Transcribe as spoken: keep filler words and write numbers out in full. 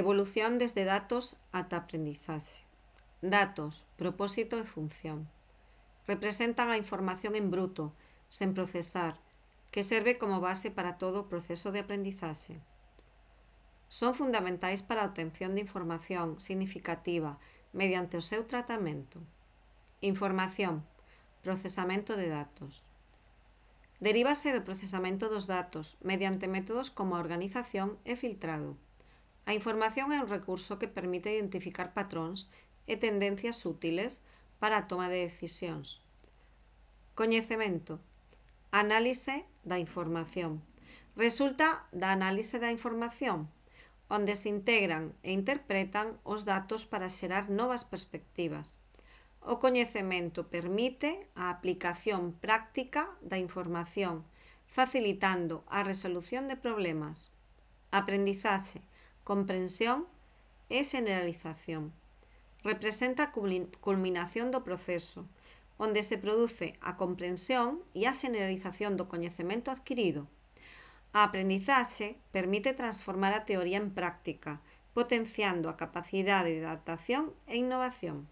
Evolución desde datos ata aprendizaxe. Datos, propósito e función. Representan a información en bruto, sen procesar, que serve como base para todo o proceso de aprendizaxe. Son fundamentais para a obtención de información significativa mediante o seu tratamento. Información, procesamento de datos. Derívase do procesamento dos datos mediante métodos como a organización e filtrado. A información é un recurso que permite identificar patróns e tendencias útiles para a toma de decisións. Coñecemento. Análise da información. Resulta da análise da información, onde se integran e interpretan os datos para xerar novas perspectivas. O coñecemento permite a aplicación práctica da información, facilitando a resolución de problemas. Aprendizaxe, comprensión e xeneralización. Representa a culminación do proceso, onde se produce a comprensión e a xeneralización do coñecemento adquirido. A aprendizaxe permite transformar a teoría en práctica, potenciando a capacidade de adaptación e innovación.